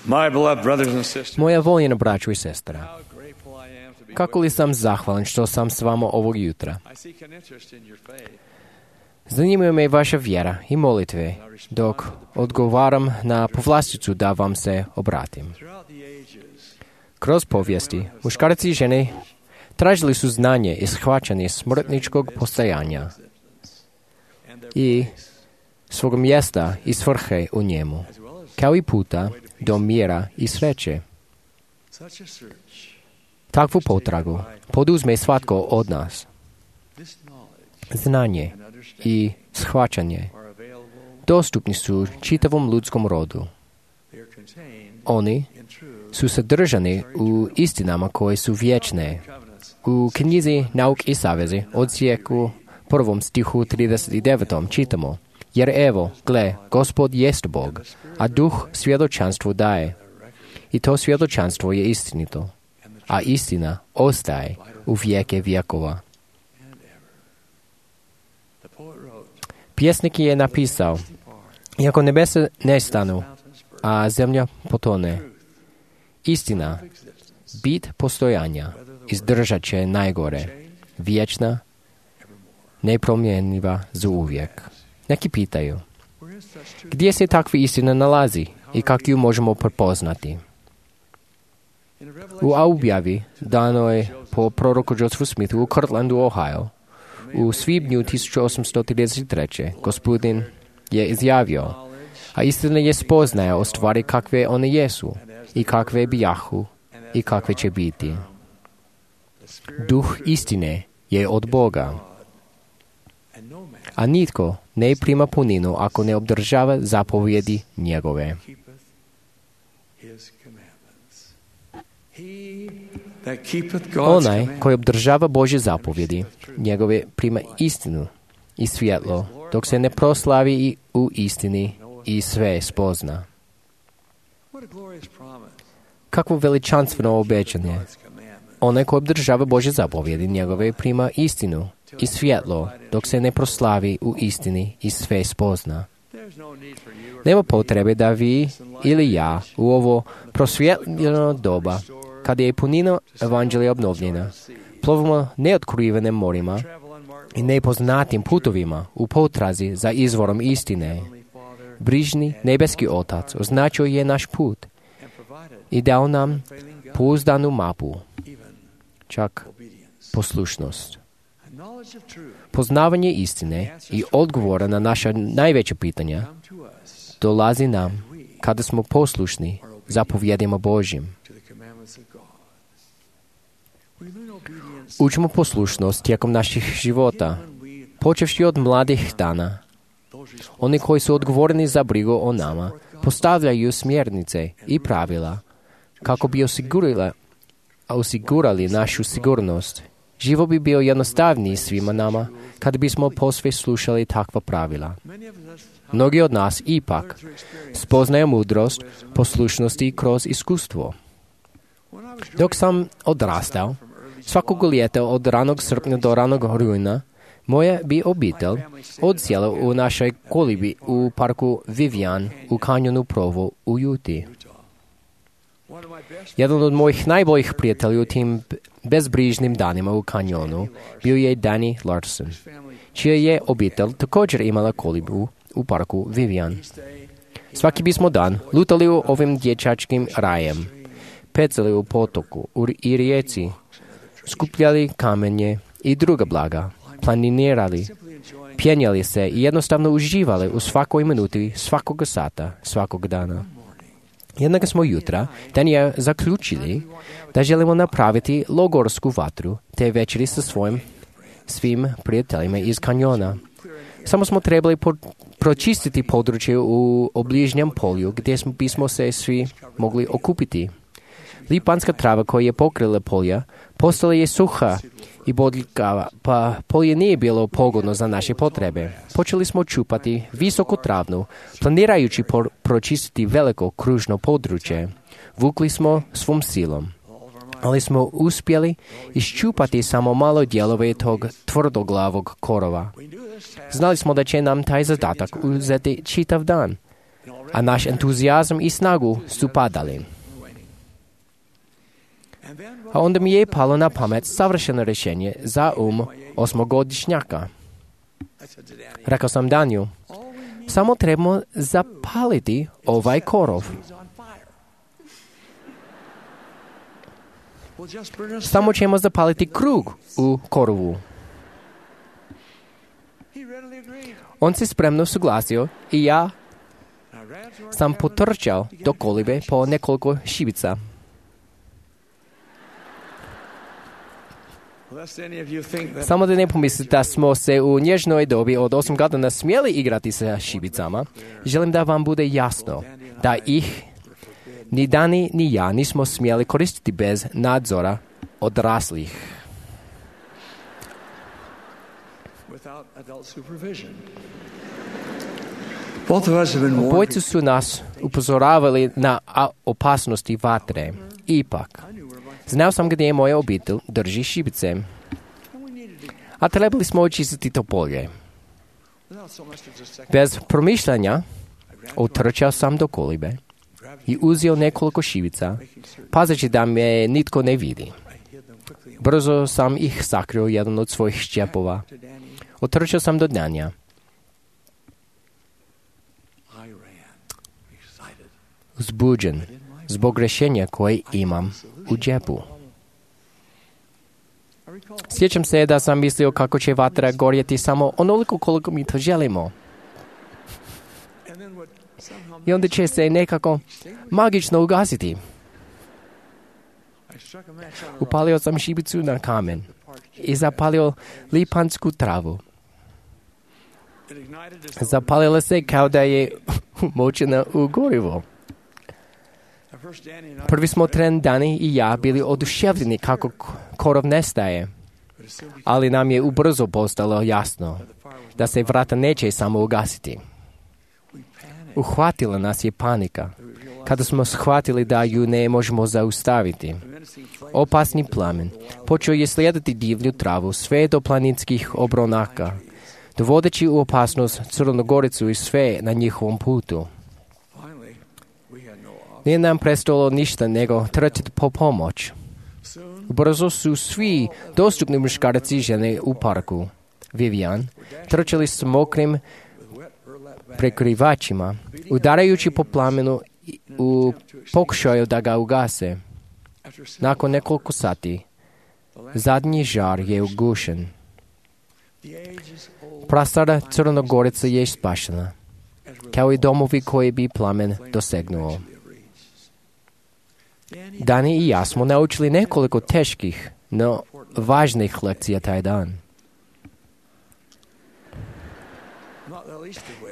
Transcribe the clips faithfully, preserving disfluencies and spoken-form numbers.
My beloved brothers and sisters, Moja voljena braćo i sestra, how grateful I am to be kako with li sam zahvalan što sam s vama ovog jutra. you. I seek an interest in your faith. Zanimaju me vaša vjera i molitve dok odgovaram na povlasticu da vam se obratim. Throughout the ages, Kroz povijesti, muškarci i žene tražili su znanje i shvaćanje smrtničkog postojanja and their i place, svog mjesta i svrhe u njemu, as well as kao i puta do mira i sreće. such a search, Takvu potragu poduzme svatko od nas. this knowledge Znanje and understanding i shvaćanje are available. dostupni su čitavom ljudskom rodu. They are contained Oni in truth, su sadržani u istinama koje su vječne. covenants, U knjizi Nauk i savezi, odsjeku prvom stihu trideset devetom čitamo: Jer evo, gle, Gospod jest Bog, a duh svjedočanstvo daje. I to svjedočanstvo je istinito, a istina ostaje u vijeke vjekova. and ever. The poet wrote, Pjesnik je napisao: Iako nebesa nestanu, mountains burn, a zemlja potone, istina, existence, bit postojanja, izdržat će najgore, vječna, nepromjenjiva za uvijek. Neki pitaju, where is such truth? gdje se takva istina nalazi i kako ju možemo prepoznati? In a U revelation objavi danoj po proroku Josephu Smithu u Kirtlandu, Ohio, u svibnju tisuću osamsto trideset treće. gospodin je izjavio: A istina je spoznaja o stvari kakve one jesu i kakve bijahu i kakve će biti. Duh istine je od Boga, and no man a nitko ne prima puninu ako ne obdržava zapovjedi njegove. keepeth his commandments. He that keepeth God's Onaj commandments koji obdržava Božje zapovjedi njegove prima istinu i svjetlo, dok se ne proslavi i u istini i sve spozna. What a glorious promise. Kakvo veličanstveno obećanje! God's commandment. Onaj koji obdržava Božje zapovjedi njegove prima istinu i svjetlo, dok se ne proslavi u istini i sve spozna. There's no need for you or Nema potrebe da vi ili ja u ovo prosvjetljeno doba, kada je punina evanđelja obnovljena, plovimo neotkrivenim morima travel unmarked i nepoznatim putovima u potrazi za izvorom istine. Heavenly Father Brižni nebeski Otac označio je naš put and provided i dao nam failing God pouzdanu mapu, even čak obedience. poslušnost. A knowledge of truth Poznavanje istine i odgovora na naša najveća pitanja come to us dolazi nam kada smo poslušni zapovjedima Božjim. to the commandments of God. We learn obedience Učimo poslušnost tijekom naših života, when we počevši od mladih dana. those responsible Oni koji su odgovorni za brigu o nama postavljaju smjernice i pravila kako bi osigurali, osigurali našu sigurnost. Život bi bio jednostavniji svima nama kad bismo posve slušali takva pravila. many of us Mnogi od nas ipak through experience. spoznaju mudrost poslušnosti kroz iskustvo. When I was Dok sam odrastao, svakog ljeta od ranog srpnja do ranog rujna, moja bi obitelj odsjela u našoj kolibi u parku Vivian u kanjonu Provo u Juti. one of my best Jedan od mojih najboljih prijatelja u tim bezbrižnim danima u kanjonu bio je Danny Larson, family čija je obitelj također imala kolibu u parku Vivian. stay Svaki bismo dan lutali u ovim dječačkim rajem, pecali u potoku u- i rijeci, skupljali kamenje i druga blaga, planinirali, simply enjoying pjenjali se i jednostavno uživali u svakoj minuti, svakog sata, svakog dana. Jednog smo jutra dan je zaključili da želimo napraviti logorsku vatru te večeri sa svojim svim prijateljima iz kanjona. Samo smo trebali po- pročistiti područje u obližnjem polju gdje smo, bismo se svi mogli okupiti. Lipanska trava koja je pokrila polja postala je suha i bodljikava, pa polje nije bilo pogodno za naše potrebe. Počeli smo čupati visoku travnu, planirajući por- pročistiti veliko kružno područje. Vukli smo svom silom, ali smo uspjeli iščupati samo malo dijelove tog tvrdoglavog korova. Znali smo da će nam taj zadatak uzeti čitav dan, a naš entuzijazam i snagu su padali. A onda mi je palo na pamet savršeno rješenje za um osmogodišnjaka. Rekao sam Daniju, samo trebamo zapaliti ovaj korov. Samo ćemo zapaliti krug u korovu. On se spremno suglasio i ja sam potrčao do kolibe po nekoliko šibica. Samo da ne pomislite da smo se u nježnoj dobi od osam godina smjeli igrati sa šibicama, želim da vam bude jasno da ih ni Dani ni ja nismo smjeli koristiti bez nadzora odraslih. Obojci su nas upozoravali na opasnosti vatre. Ipak, znao sam gdje je moja obitelj drži šibice, a trebali smo očistiti to polje. Bez promišljanja otrčao sam do kolibe i uzeo nekoliko šibica, pazeći da me nitko ne vidi. Brzo sam ih sakrio jedan od svojih šćepova. Otrčao sam do Danja. Uzbuđen zbog rješenja koje imam u džepu. Sjećam se da sam mislio kako će vatra gorjeti samo onoliko koliko mi to želimo. I onda će se nekako magično ugasiti. Upalio sam šibicu na kamen i zapalio lipansku travu. Zapalila se kao da je umočena u gorivo. Prvi smo tren Dani i ja bili oduševljeni kako korov nestaje, ali nam je ubrzo postalo jasno da se vrata neće samo ugasiti. Uhvatila nas je panika kada smo shvatili da ju ne možemo zaustaviti. Opasni plamen počeo je slijediti divlju travu sve do planinskih obronaka, dovodeći u opasnost Crnogoricu i sve na njihovom putu. Nije nam prestalo ništa nego trčati po pomoć. Brzo su svi dostupni muškarci i žene u parku. Vivian trčali s mokrim prekrivačima, udarajući po plamenu u pokušaju da ga ugase. Nakon nekoliko sati, zadnji žar je ugušen. Prastara Crnogorica je spašena, kao i domovi koji bi plamen dosegnuo. Dani i ja smo naučili nekoliko teških, no važnih lekcija taj dan.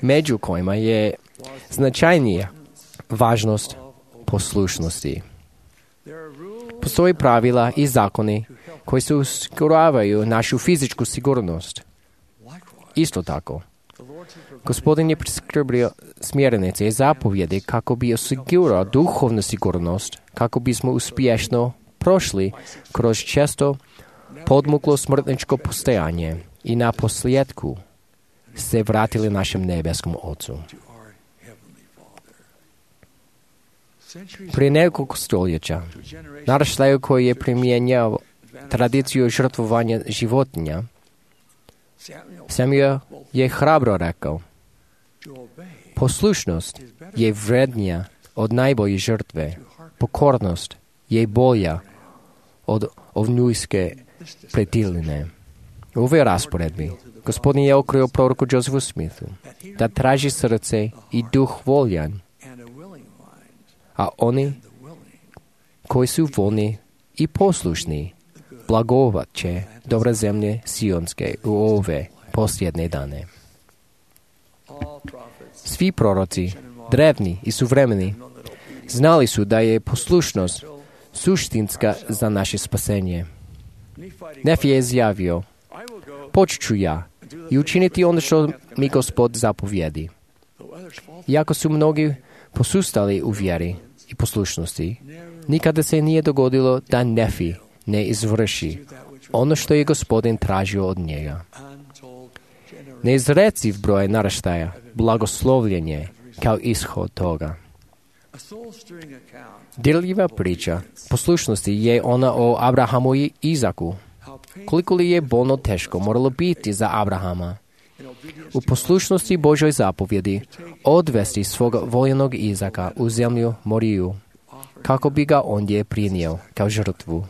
Među kojima je značajnija važnost poslušnosti. Postoje pravila i zakoni koji se osiguravaju našu fizičku sigurnost. Isto tako, Gospodin je priskrbio smjernice i zapovjedi kako bi osigurao duhovnu sigurnost, kako bismo uspješno prošli kroz često podmuklo smrtničko postojanje i na posljedku se vratili našem nebeskom Ocu. Prije nekoliko stoljeća, naraštaj koji je primjenjao tradiciju žrtvovanja životinja, Samuel je hrabro rekao: poslušnost je vrednija od najbolje žrtve, pokornost je bolja od ovnujske pretiline. U ovoj rasporedbi Gospodin je okrio proroku Josephu Smithu da traži srce i duh voljan, a oni koji su voljni i poslušni blagovat će dobre zemlje Sionske u ove posljedne dane. Svi proroci, drevni i suvremeni, znali su da je poslušnost suštinska za naše spasenje. Nefi je izjavio: poći ću ja i učiniti ono što mi Gospod zapovjedi. Iako su mnogi posustali u vjeri i poslušnosti, nikada se nije dogodilo da Nefi ne izvrši ono što je Gospodin tražio od njega. Neizreciv broj naraštaja, blagoslovljenje kao ishod toga. A soul-stirring account Dirljiva priča poslušnosti je ona o Abrahamu i Izaku. how painful Koliko li je bolno teško moralo biti za Abrahama u poslušnosti Božoj zapovjedi odvesti svog voljenog Izaka u zemlju Moriju, kako bi ga ondje prinio kao žrtvu.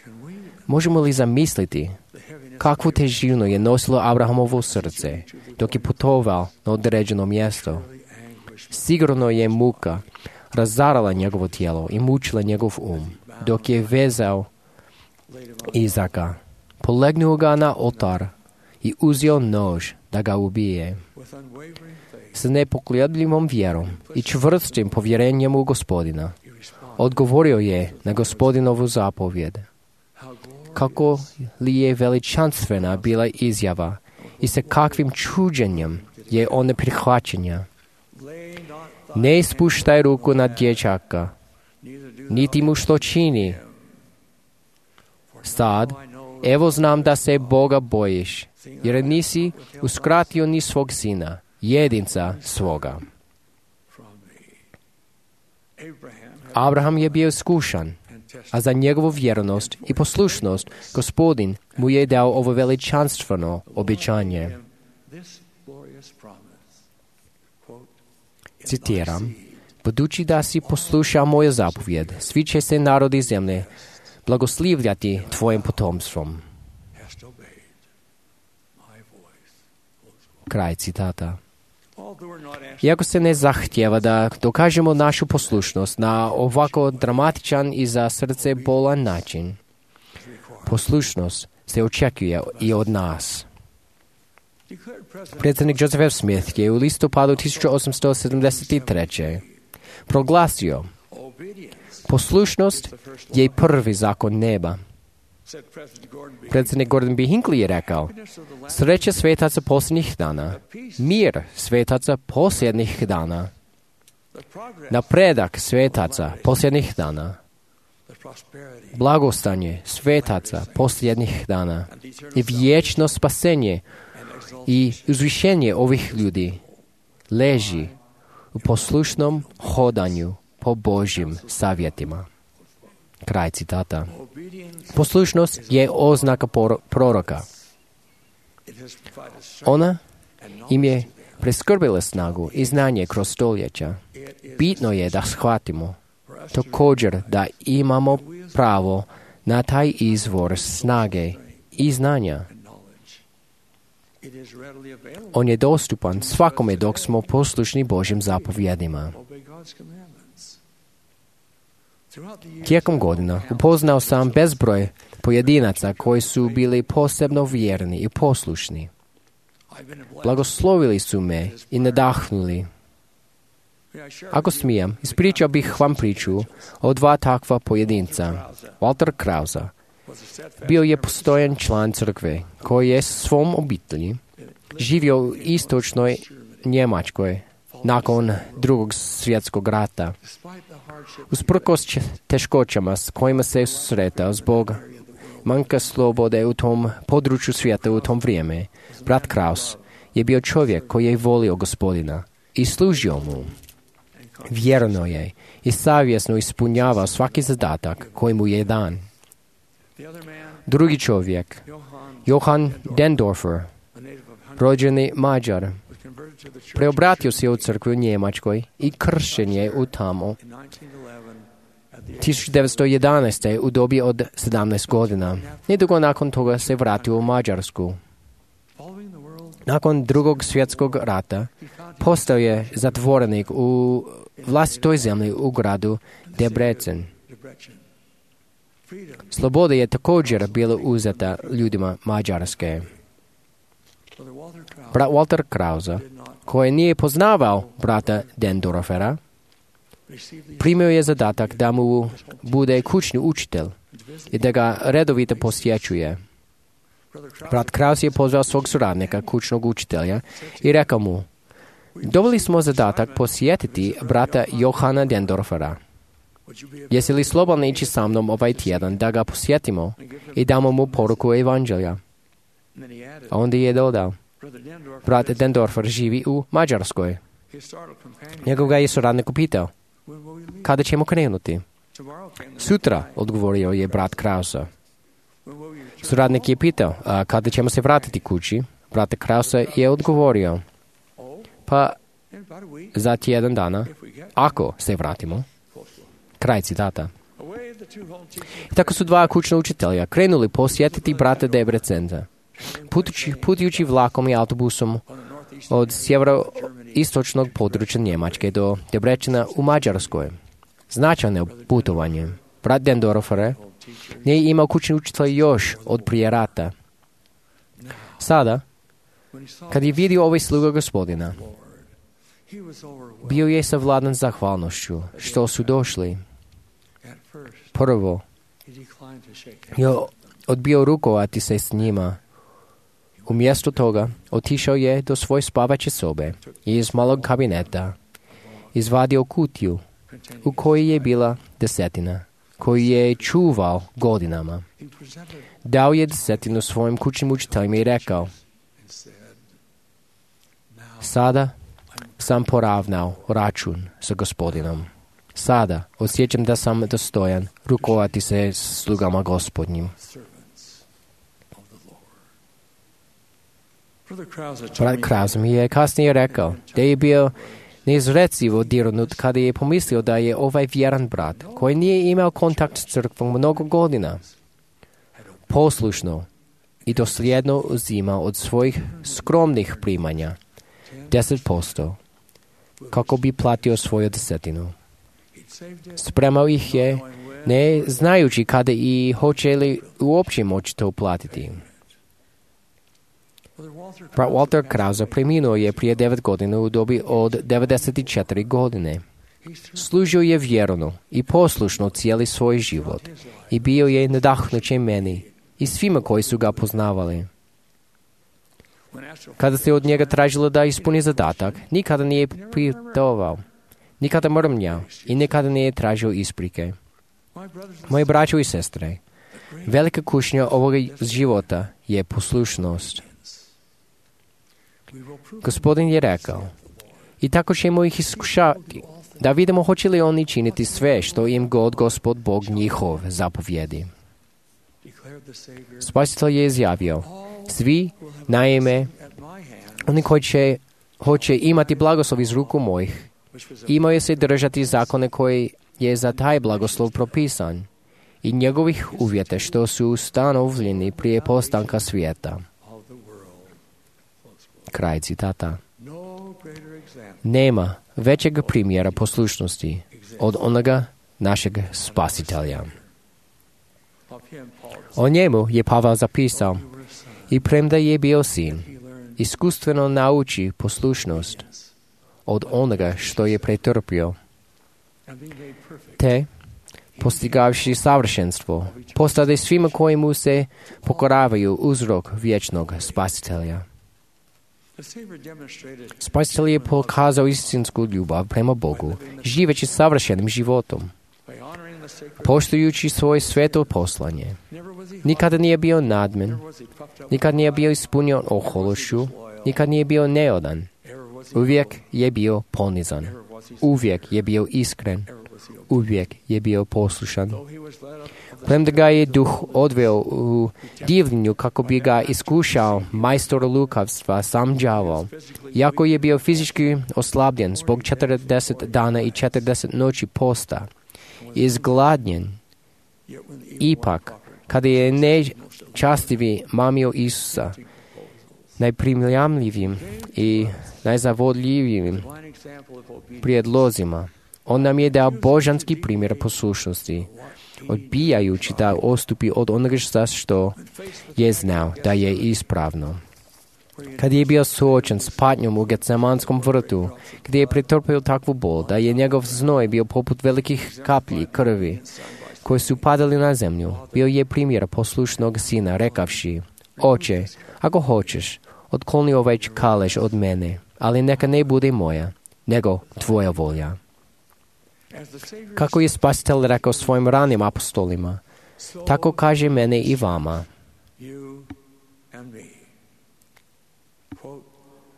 can we Možemo li zamisliti the heaviness kakvu težinu je nosilo Abrahamovo srce dok je putovao na određeno mjesto? of the anguish Sigurno je muka razarala njegovo tijelo i mučila njegov um, dok je vezao laid him Izaka, polegnuo ga na oltar i uzeo nož da ga ubije. with unwavering faith? S nepokolebljivom vjerom i čvrstim povjerenjem u Gospodina He responded, odgovorio je na Gospodinovu zapovjed. how glorious Kako li je veličanstvena bila izjava i sa kakvim čuđenjem je on prihvaćenja. lay not thy Ne ispuštaj ruku na dječaka, neither do niti mu što čini. Sad, I know evo znam da se Boga bojiš, jer nisi uskratio ni svog sina, jedinca svoga. from me. Abraham had Abraham je bio iskušan, and tested a za njegovu vjernost i poslušnost Gospodin mu je dao ovo veličanstveno obećanje. him this glorious promise. Quote, "In thy Citiram, seed budući da si poslušao moju zapovjed, svi će se narodi zemlje blagoslivljati tvojim potomstvom. hast obeyed my voice." Kraj citata. Although we're not asked Iako se ne zahtjeva da dokažemo našu poslušnost na ovako dramatičan i za srce bolan način, poslušnost se očekuje i od nas. declared President Predsjednik Joseph F. Smith je u listopadu tisuću osamsto sedamdeset treće. proglasio: obedience, poslušnost je i prvi zakon neba. said President Gordon B. Predsjednik Gordon B. Hinckley je rekao: Happiness of the last sreća svetaca posljednjih dana, mir svetaca posljednjih dana, the progress, napredak svetaca posljednjih dana, the prosperity, blagostanje svetaca posljednjih dana and the eternal i vječno spasenje and exaltation i uzvišenje ovih ljudi leži u poslušnom hodanju po Božjim savjetima. Kraj citata. obedience. Poslušnost je oznaka por- proroka. It has provided strength Ona and im knowledge je to them. preskrbila snagu i znanje kroz stoljeća. It is Bitno je da shvatimo for us to također da imamo pravo na taj izvor snage i znanja. and knowledge. It is readily available. On je dostupan svakome dok smo poslušni Božjim zapovjedima. Obey God's commandments. Throughout the years, Tijekom godina upoznao sam bezbroj pojedinaca koji su bili posebno vjerni i poslušni. I've been blessed. Blagoslovili su me i nadahnuli. May I share Ako with you smijem, the ispričao bih vam priču o dva takva pojedinca. Krause Walter Krause was a steadfast bio je member of postojan član crkve koji je s svom obitelji živio u istočnoj Njemačkoj nakon drugog svjetskog rata. despite the hardship Usprkos če- teškoćama s kojima se susretao zbog manjka slobode u tom području svijeta u tom vrijeme, brat Kraus je bio čovjek koji je volio Gospodina i služio mu. Vjerno je i savjesno ispunjavao svaki zadatak koji mu je dan. the other man, Drugi čovjek, Johann, Johann Dendorfer, a native of Hungary, rođeni Mađar, was converted to the church preobratio se u crkvu u Njemačkoj i kršćen je u tamo in nineteen eleven at the age tisuću devetsto jedanaeste. u dobi od sedamnaest godina. Nedugo nakon toga se vratio u Mađarsku. following the world. Nakon drugog svjetskog rata He found his postao je zatvorenik u vlastitoj zemlji u gradu Debrecen. Debrecen. Freedom. Sloboda je također bila uzeta ljudima Mađarske. Brother Walter Krause Brat Walter Krause, did not koji nije poznavao brata Dendorfera, receive the primio je zadatak da mu bude kućni učitelj i da ga redovito posjećuje. Brother Krause Brat Kraus je pozvao svog suradnika, kućnog učitelja, i rekao mu: dobili smo zadatak posjetiti brata Johana Dendorfera. would you be Jesi li slobodni ići sa mnom ovaj tjedan da ga posjetimo i damo mu poruku evanđelja? and then he added, A onda je dodao: Brother Dendorf brat Dendorfer živi u Mađarskoj. Njegov ga je suradnik upitao, kada ćemo krenuti? Sutra, odgovorio je brat Krausa. Suradnik je pitao, a kada ćemo se vratiti kući? Brat Krausa je odgovorio, pa za tjedan dana, ako se vratimo. Kraj citata. Tako su dva kućna učitelja krenuli posjetiti brata Debrecenza. Putujući, putujući vlakom i autobusom od sjeveroistočnog područja Njemačke do Debrecena u Mađarskoj. Značajno putovanje. Brat Dendorfer nije imao kućni učitelj još od prije rata. Sada, kad je vidio ovaj sluga Gospodina, bio je savladan zahvalnošću što su došli. Prvo, je odbio rukovati se s njima. Umjesto toga, otišao je do svoje spavaće sobe i iz malog kabineta izvadio kutiju u kojoj je bila desetina, koju je čuvao godinama. Dao je desetinu svojim kućnim učiteljima i rekao, sada sam poravnao račun sa Gospodinom. Sada osjećam da sam dostojan rukovati se s slugama Gospodnjim. Brat Krause mi je kasnije rekao da je bio neizrecivo dirnut kada je pomislio da je ovaj vjeran brat, koji nije imao kontakt s crkvom mnogo godina, poslušno i dosljedno uzimao od svojih skromnih primanja deset posto kako bi platio svoju desetinu. Spremao ih je, ne znajući kada i hoće li uopće moći to platiti. Brat Walter Krause preminuo je prije devet godina u dobi od devedeset četiri godine. Služio je vjerno i poslušno cijeli svoj život i bio je nadahnuće meni i svima koji su ga poznavali. Kada se od njega tražilo da ispuni zadatak, nikada nije pitovao, nikada mrmnjao i nikada nije tražio isprike. Moji braćo i sestre, velika kušnja ovoga života je poslušnost. Gospodin je rekao, i tako ćemo ih iskušati, da vidimo hoće li oni činiti sve što im god Gospod Bog njihov zapovjedi. Spasitelj je izjavio, svi, naime, oni koji će, hoće imati blagoslov iz ruku mojih, imaju se držati zakone koji je za taj blagoslov propisan i njegovih uvjeta što su ustanovljeni prije postanka svijeta. Kraj citata. Nema većeg primjera poslušnosti od onoga našeg Spasitelja. O njemu je Pavel zapisao, i premda je bio sin, iskustveno nauči poslušnost od onoga što je pretrpio, te, postigavši savršenstvo, postade svima koji mu se pokoravaju uzrok vječnog Spasitelja. Spasitelj je pokazao istinsku ljubav prema Bogu, živeći savršenim životom, poštujući svoje sveto poslanje. Nikada nije bio nadmen, nikad nije bio ispunjen ohološću, nikad nije bio neodan. Uvijek je bio ponizan, uvijek je bio iskren, uvijek je bio poslušan. Premda ga je duh odveo u divljenju kako bi ga iskušao majstor lukavstva sam đavol, iako je bio fizički oslabljen zbog četrdeset dana i četrdeset noći posta, izgladnjen, ipak, kada je nečastivi mamio Isusa, najprimljamljivim i najzavodljivijim prijedlozima, on nam je dao božanski primjer poslušnosti, odbijajući da odstupi od onoga što je znao da je ispravno. Kad je bio suočen s patnjom u Getsemanskom vrtu, gdje je pretrpio takvu bol da je njegov znoj bio poput velikih kaplji krvi koji su padali na zemlju, bio je primjer poslušnog sina rekavši, oče, ako hoćeš, otkloni ovaj kalež od mene, ali neka ne bude moja, nego tvoja volja. Kako je Spasitelj rekao svojim ranim apostolima, tako kaže mene i vama.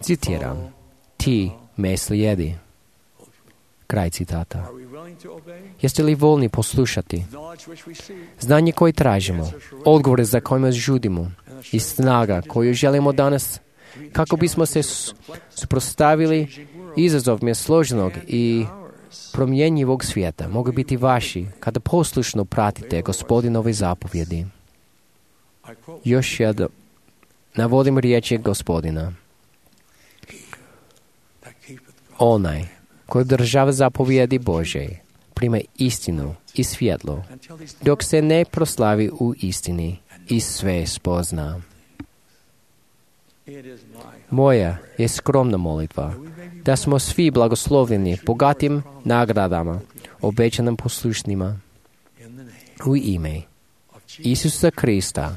Citiram, ti me slijedi. Kraj citata. Are we willing to obey? Jeste li voljni poslušati? Knowledge which we seek, Znanje koje tražimo, odgovore za kojima žudimo i snaga koju želimo danas kako bismo se s- suprotstavili izazovima složenog i promjenjivog svijeta mogu biti vaši kada poslušno pratite Gospodinove zapovjedi. I quote, Još jedno navodim riječi Gospodina. that keepeth God. Onaj koji održava zapovjedi Božje prima istinu i svjetlo Until these dok se ne proslavi u istini i sve spozna. it is my Moja je skromna molitva da smo svi blagoslovljeni bogatim nagradama, obećanim poslušnima in the name u ime of Jesus Isusa Krista,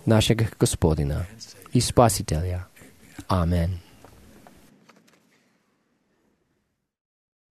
našeg Gospodina i Spasitelja. Amen.